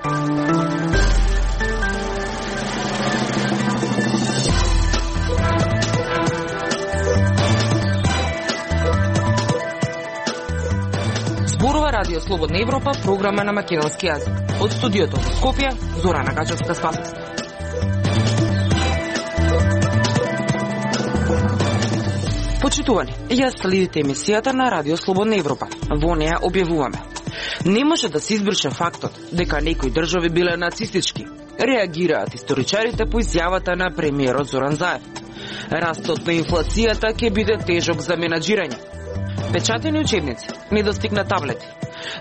Зборува Радио Слободна Европа, програма на македонски јазик. Од студиото во Скопје, Зорана Гачевска-Спасовска. Почитувани, ја следите емисијата на Радио Слободна Европа. Во неја објавуваме: не може да се избрише фактот дека некои држави биле нацистички. Реагираат историчарите по изјавата на премиерот Зоран Заев. Растот на инфлацијата ќе биде тежок за менаџирање. Печатени учебници, недостиг на таблети,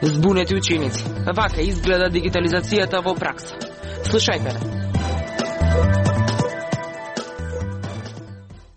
збунети ученици. Вака изгледа дигитализацијата во пракса. Слушајте не.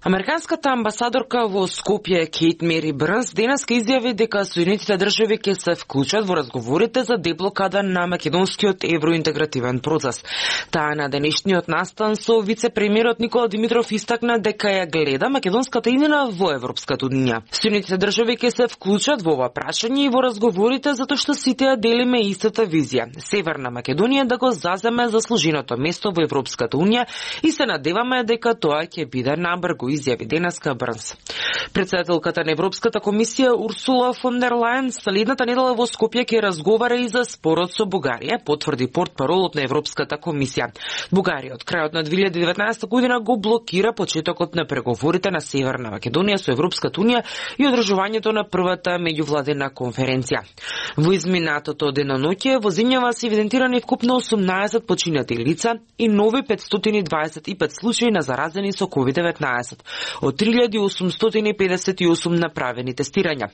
Американската амбасадорка во Скопје Кейт Мери Брнс денеска изјави дека Соединетите држави ќе се вклучат во разговорите за деблокада на македонскиот евроинтегративен процес. Таа на денешниот настан со вице-премиерот Никола Димитров истакна дека ја гледа македонската иднина во Европската унија. Соединетите држави ќе се вклучат во ова прашање и во разговорите затоа што сите ја делиме истата визија. Северна Македонија да го заземе заслуженото место во Европската унија и се надеваме дека тоа ќе биде набрзо, изјави денеска Брнс. Председателката на Европската комисија Урсула фон дер Лајен следната недела во Скопје ќе разговара и за спорот со Бугарија, потврди портпаролот на Европската комисија. Бугарија од крајот на 2019 година го блокира почетокот на преговорите на Северна Македонија со Европската унија и одржувањето на првата меѓувладина конференција. Во изминатото деноноќе во земјава се евидентирани вкупно 18 починати лица и нови 525 случаи на заразени со COVID-19. Од 3858 направени тестирања.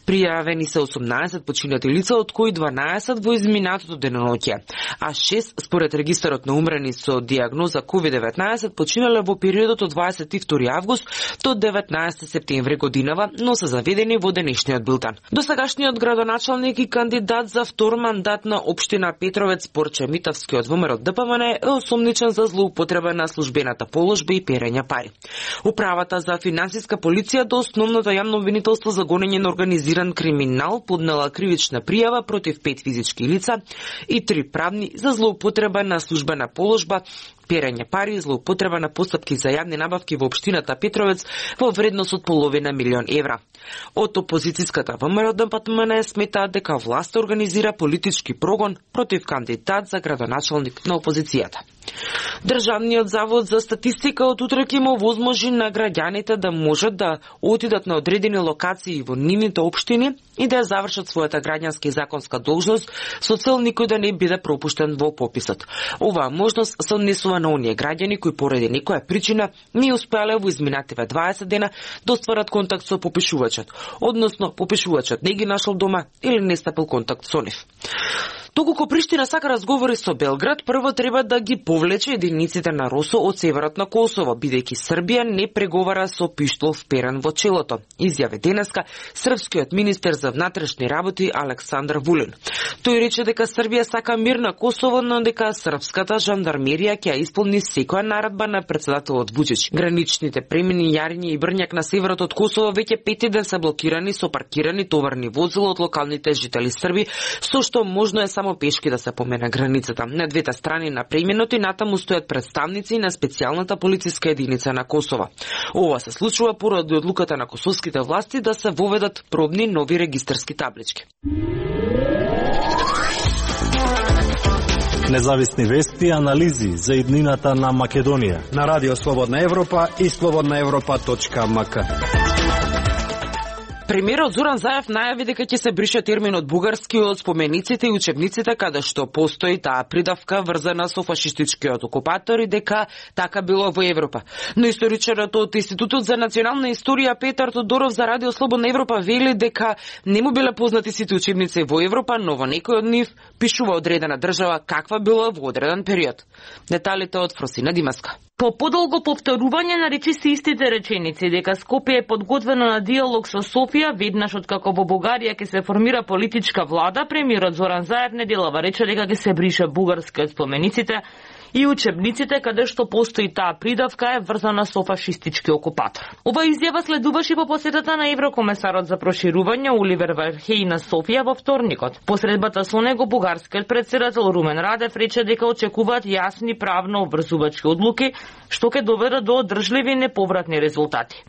Пријавени се 18 починати лица, од кои 12 во изминатото деноноќе, а 6 според регистарот на умрени со диагноза COVID-19 починале во периодот од 22 август до 19 септември годинава, но се заведени во денешниот бултан. Досегашниот градоначалник и кандидат за втор мандат на општина Петровец Порче Митавски од ВМРО ДПМН е осомничен за злоупотреба на службената положба и перење пари. Управата за финансиска полиција до основното јавно обвинителство за гонење на организиран криминал поднела кривична пријава против 5 физички лица и 3 правни за злоупотреба на службена положба, перење пари и злоупотреба на постапки за јавни набавки во општината Петровец во вредност од половина милион евра. Од опозицијската ВМРО ДПМН сметаат дека власта организира политички прогон против кандидат за градоначалник на опозицијата. Државниот завод за статистика од утре ќе му возможи на граѓаните да можат да отидат на одредени локации во нивните општини и да ја завршат својата граѓанска и законска должност со цел никој да не биде пропуштен во пописот. Оваа можност се однесува на оние граѓани кои поради некоја причина не успеале во изминативе 20 дена да остварат контакт со попишувачот, односно попишувачот не ги нашол дома или не стапил контакт со нив. Доколку Приштина сака разговори со Белград, прво треба да ги повлече единиците на РОСО од северот на Косово, бидејќи Србија не преговара со пиштол вперен во челото, изјави денеска српскиот министер за внатрешни работи Александар Вулин. Тој рече дека Србија сака мир на Косово, но дека српската жандармерија ќе исполни секоја наредба на председателот Вучич. Граничните премини Јариње и Брњак на северот од Косово веќе 5 ден се блокирани со паркирани товарни возила од локалните жители Срби, со што можно е само пешки да се помине границата. На двете страни на преминот и натаму стојат представници на специјалната полициска единица на Косово. Ова се случува поради одлуката на косовските власти да се воведат пробни нови регистарски таблички. Независни вести и анализи за иднината на Македонија на Радио Слободна Европа и slobodnaevropa.mk. Премиерот Зоран Заев најави дека ќе се брише терминот бугарски од спомениците и учебниците каде што постои таа придавка врзана со фашистичкиот окупатор и дека така било во Европа. Но историчарот од Институтот за национална историја Петар Тодоров за Радио Слободна Европа вели дека не му биле познати сите учебници во Европа, но во некој од нив пишува одредена држава каква била во одреден период. Деталите од Фросина Димаска. По подолго повторување на речиси истите реченици дека Скопје е подготвено на диалог со Софија, веднаш откако во Бугарија ќе се формира политичка влада, премиерот Зоран Заев неделава рече дека ќе се брише бугарски од спомениците и учебниците каде што постои таа придавка е врзана со фашистички окупатор. Ова изјава следуваше по посетата на еврокомесарот за проширување Оливер Вархеј на Софија во вторникот. По средбата со него бугарскиот претседател Румен Радев рече дека очекуваат јасни правно обврзувачки одлуки што ќе доведат до одржливи и неповратни резултати.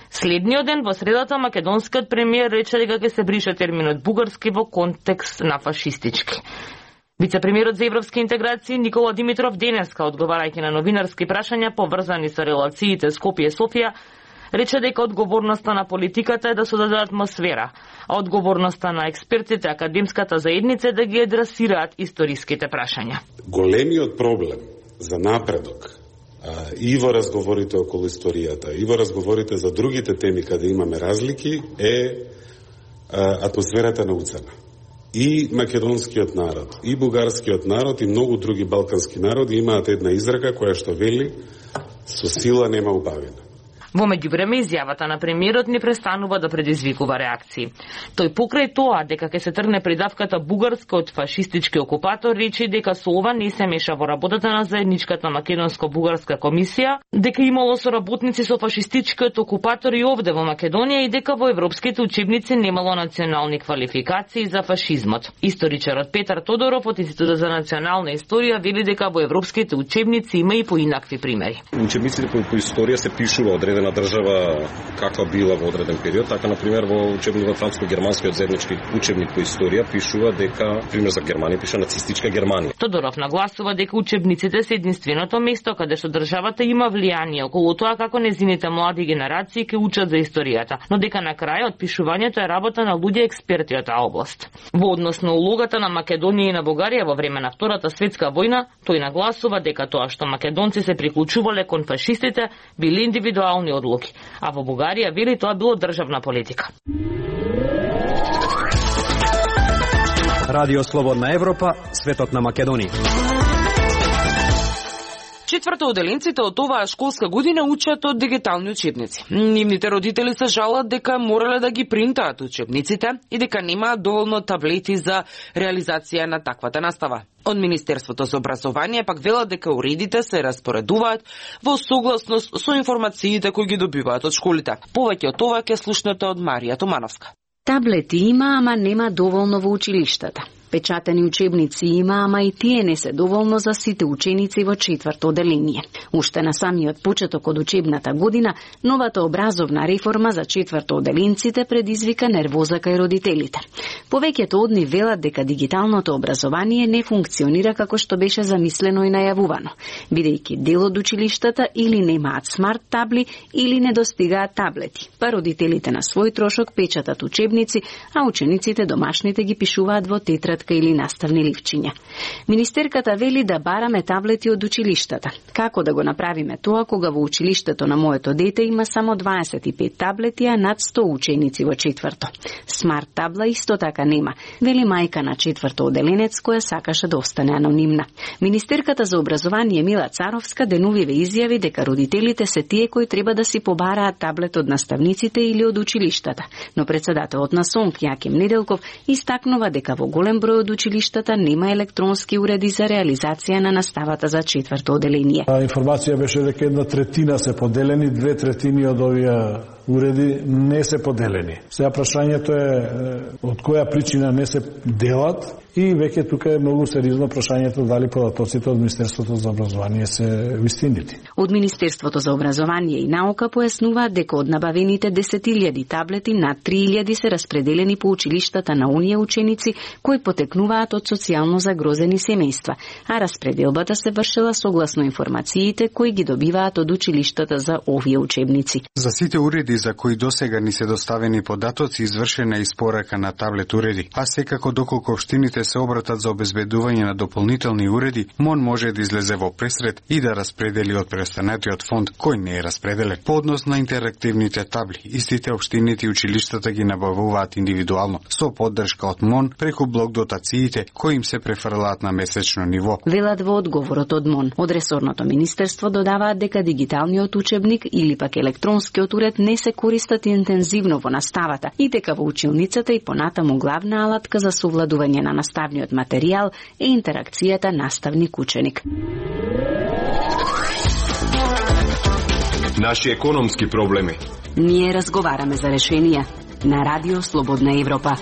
Следниот ден во средата македонскиот премиер рече дека ќе се брише терминот бугарски во контекст на фашистички. Вице-премиерот за европски интеграции Никола Димитров денеска, одговарајќи на новинарски прашања поврзани со релациите Скопје-Софија, рече дека одговорноста на политиката е да создаде атмосфера, а одговорноста на експертите академската заедница е да ги адресираат историските прашања. Големиот проблем за напредок и во разговорите околу историјата, и во разговорите за другите теми каде имаме разлики е атмосферата на уцена. И македонскиот народ, и бугарскиот народ, и многу други балкански народи имаат една изрека која што вели со сила нема убавина. Во меѓувреме изјавата на премиерот не престанува да предизвикува реакции. Тој покрај тоа дека ќе се тргне придавката бугарска од фашистички окупатор рече дека со ова не се меша во работата на заедничката македонско-бугарска комисија, дека имало соработници со фашистичкиот окупатор и овде во Македонија и дека во европските учебници немало национални квалификации за фашизмот. Историчарот Петар Тодоров од Институтот за национална историја вели дека во европските учебници има и поинакви примери. Учебниците по историја се пишува одредена држава каква била во одреден период, така на пример во учебникот франско-германскиот заеднички учебник по историја пишува дека пример за Германија пише нацистичка Германија. Тодоров нагласува дека учебниците се единственото место каде што државата има влијание околу тоа како незините млади генерации ќе учат за историјата, но дека на крајот пишувањето е работа на луѓе експерти од таа област. Во однос на улогата на Македонија и на Бугарија во време на Втората светска војна, тој нагласува дека тоа што македонци се приклучувале кон фашистите били индивидуални одлуки, а во Бугарија вели тоа било државна политика. Радио Слободна Европа, светот на Македонија. Четвртооделенците од оваа школска година учат од дигитални учебници. Нивните родители се жалат дека морале да ги принтаат учебниците и дека немаат доволно таблети за реализација на таквата настава. Од Министерството за образование пак велат дека уредите се распоредуваат во согласност со информациите кои ги добиваат од школите. Повеќе од тоа ќе слушнете од Марија Томановска. Таблети има, ама нема доволно во училиштата. Печатени учебници има, ама и тие не се доволно за сите ученици во четврто оделение. Уште на самиот почеток од учебната година, новата образовна реформа за четврто оделенците предизвика нервоза кај родителите. Повеќето од нив велат дека дигиталното образование не функционира како што беше замислено и најавувано, бидејќи дел од училиштата или немаат смарт табли или не достигаат таблети, па родителите на свој трошок печатат учебници, а учениците домашните ги пишуваат во тетрадка или наставни ливчиња. Министерката вели да бараме таблети од училиштата. Како да го направиме тоа кога во училиштето на моето дете има само 25 таблети, а над 100 ученици во четврто? Смарт табла исто така нема, вели мајка на четврто оделенец која сакаше да остане анонимна. Министерката за образование Мила Царовска деновиве изјави дека родителите се тие кои треба да си побараат таблет од наставниците или од училиштата, но председателот на СОНК Јаким Неделков истакнува дека во голем број од училиштата нема електронски уреди за реализација на наставата за четврто оделение. Информација беше дека 1/3 се поделени, 2/3 од овие уреди не се поделени. Сега прашањето е од која причина не се делат и веќе тука е многу сериозно прашањето дали податоците од Министерството за образование се вистинити. Од Министерството за образование и наука појаснуваат дека од набавените 10.000 таблети над 3.000 се распределени по училиштата на оние ученици кои потекнуваат од социјално загрозени семејства, а распределбата се вршила согласно информациите кои ги добиваат од училиштата за овие учебници. За сите уреди за кои досега ни се доставени податоци извршена испорака на таблет уреди, а секако доколку општините се обратат за обезбедување на дополнителни уреди, МОН може да излезе во пресред и да распредели од преостанатиот фонд кој не е распределен. По однос на интерактивните табли, истите општините и училиштата ги набавуваат индивидуално, со поддршка од МОН преку блок дотациите кои им се префрлаат на месечно ниво. Велат во одговорот од МОН. Од ресорното министерство додаваат дека дигиталниот учебник или пак електронскиот уред не се користат интензивно во наставата и дека во училницата и понатаму главна алатка за совладување на наставниот материјал е интеракцијата наставник-ученик. Наши економски проблеми. Ние разговараме за решенија на Радио Слободна Европа.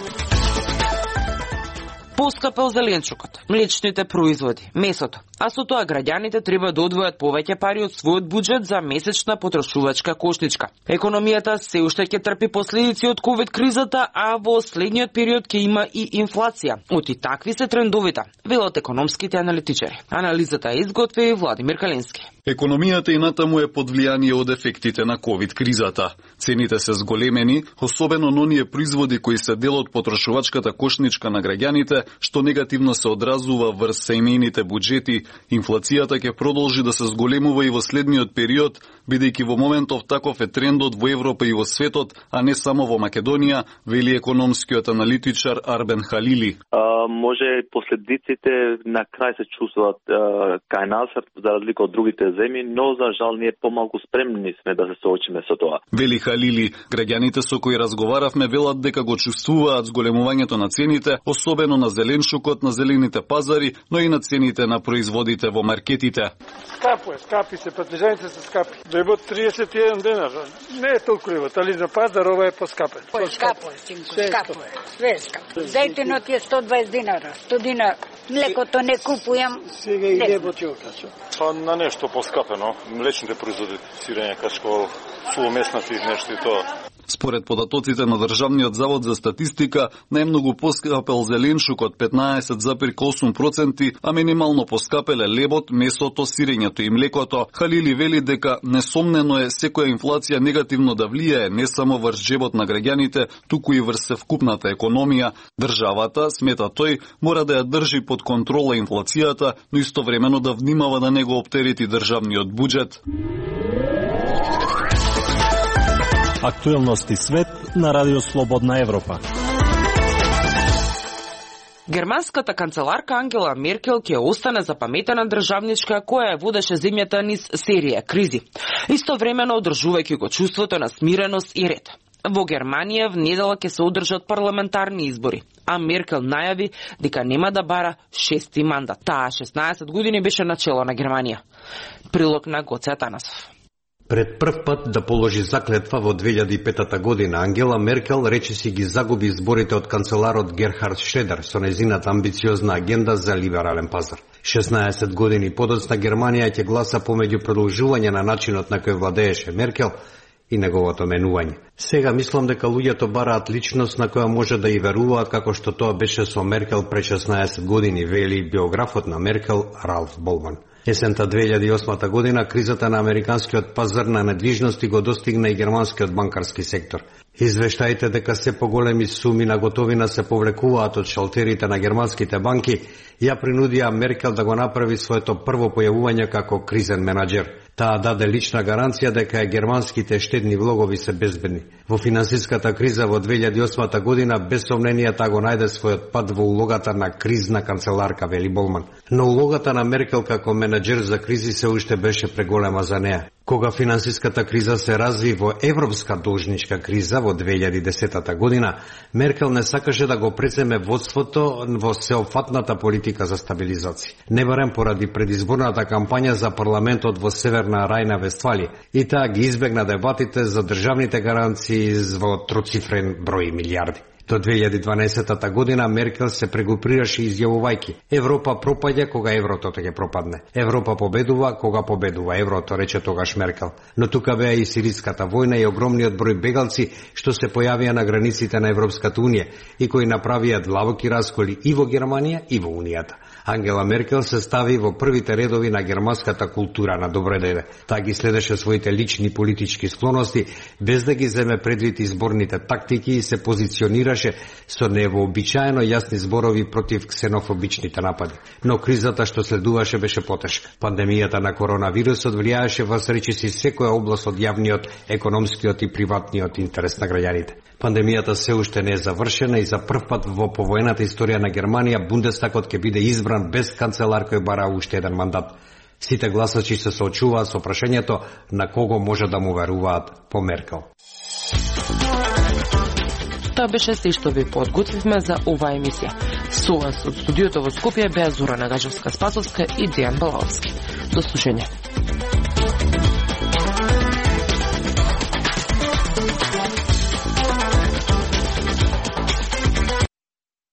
Поскапел зеленчукот, млечните производи, месото, а со тоа граѓаните треба да одвојат повеќе пари од својот буџет за месечна потрошувачка кошничка. Економијата се уште ќе трпи последици од ковид кризата, а во следниот период ќе има и инфлација. Оти такви се трендовите, велат економските аналитичари. Анализата изготви Владимир Калински. Економијата и натаму е под влијание од ефектите на ковид кризата. Цените се зголемени, особено на оние производи кои се дел од потрошувачката кошничка на граѓаните, што негативно се одразува врз семејните буџети. Инфлацијата ќе продолжи да се зголемува и во следниот период, бидејќи во моментов таков е трендот во Европа и во светот, а не само во Македонија, вели економскиот аналитичар Арбен Халили. Може последиците на крај се чувствуваат кај нас, за разлика од другите земји, но за жал ние помалку спремни сме да се соочиме со тоа. Вели Халили, граѓаните со кои разговаравме велат дека го чувствуваат зголемувањето на цените, особено на зеленчукот на зелените пазари, но и на цените на производите во маркетите. Скапи се, патлижаните се скапи. Дојбот 31 денар. Не е толку лебот, али за пазар ова е поскапен. Скапо е, синко, скапо е. Све е скапо. Зајтенот е 120 динара, 100 динар. Млекото не купујам. Сега и лебот ќе окача. Па на нешто поскапено, млечните производи, сирење, качко, суломеснати нешто и тоа. Според податоците на Државниот завод за статистика, најмногу поскапел зеленчукот 15,8%, а минимално поскапеле лебот, месото, сирењето и млекото. Халили вели дека несомнено е секоја инфлација негативно да влијае не само врз джебот на граѓаните, туку и врз севкупната економија. Државата, смета тој, мора да ја држи под контрола инфлацијата, но истовремено да внимава да не го оптерети државниот буџет. Актуелности свет на Радио Слободна Европа. Германската канцеларка Ангела Меркел ќе остане запаметена државничка која ја водеше земјата низ серија кризи, истовремено одржувајќи го чувството на смиреност и ред. Во Германија в недела ќе се одржат парламентарни избори, а Меркел најави дека нема да бара 6-ти мандат. Таа 16 години беше начело на Германија. Прилог на Гоце Атанасов. Пред прв пат да положи заклетва во 2005 година, Ангела Меркел речиси ги загуби изборите од канцеларот Герхард Шредер со нејзината амбициозна агенда за либерален пазар. 16 години подоцна Германија ќе гласа помеѓу продолжување на начинот на кој владееше Меркел и неговото менување. Сега мислам дека луѓето бараат личност на која може да и веруваат како што тоа беше со Меркел пред 16 години, вели биографот на Меркел Ралф Болман. Есента 2008 година кризата на американскиот пазар на недвижности го достигна и германскиот банкарски сектор. Извештаите дека се поголеми суми на готовина се повлекуваат од шалтерите на германските банки ја принудија Меркел да го направи своето прво појавување како кризен менаџер. Таа даде лична гаранција дека германските штедни влогови се безбедни. Во финансиската криза во 2008 година без сомнение таа го најде својот пат во улогата на кризна канцеларка, вели Болман. Но улогата на Меркел како менаџер за кризи се уште беше преголема за неа. Кога финансиската криза се разви во европска должничка криза во 2010 година, Меркел не сакаше да го преземе водството во сеопфатната политика за стабилизација. Не барем поради предизборната кампања за парламентот во Северна Рајна Вестфалија, и таа ги избегна дебатите за државните гаранции во троцифрен број милиарди. До 2012 година Меркел се прегрупираше изјавувајќи: Европа пропаѓа кога еврото ќе пропадне. Европа победува кога победува еврото, рече тогаш Меркел. Но тука беа и сириската војна и огромниот број бегалци што се појавија на границите на Европската унија и кои направија длабоки расколи и во Германија и во Унијата. Ангела Меркел се стави во првите редови на германската култура на добределе. Таа ги следеше своите лични политички склоности без да ги земе предвид изборните тактики и се позиционираше со невообичаено јасни зборови против ксенофобичните напади. Но кризата што следуваше беше потешка. Пандемијата на коронавирусот влијаеше во речиси секоја област од јавниот, економскиот и приватниот интерес на граѓаните. Пандемијата се уште не е завршена и за прв пат во повоената историја на Германија Бундестагот ќе биде избран без канцелар кој бара уште еден мандат. Сите гласачи се соочуваат со прашањето на кого може да му веруваат по Меркел. Тоа беше се што ви подготвивме за оваа емисија. Со вас од студиото во Скопје беа Зора Нагачевска-Спасовска и Дејан Балалски. До слушање.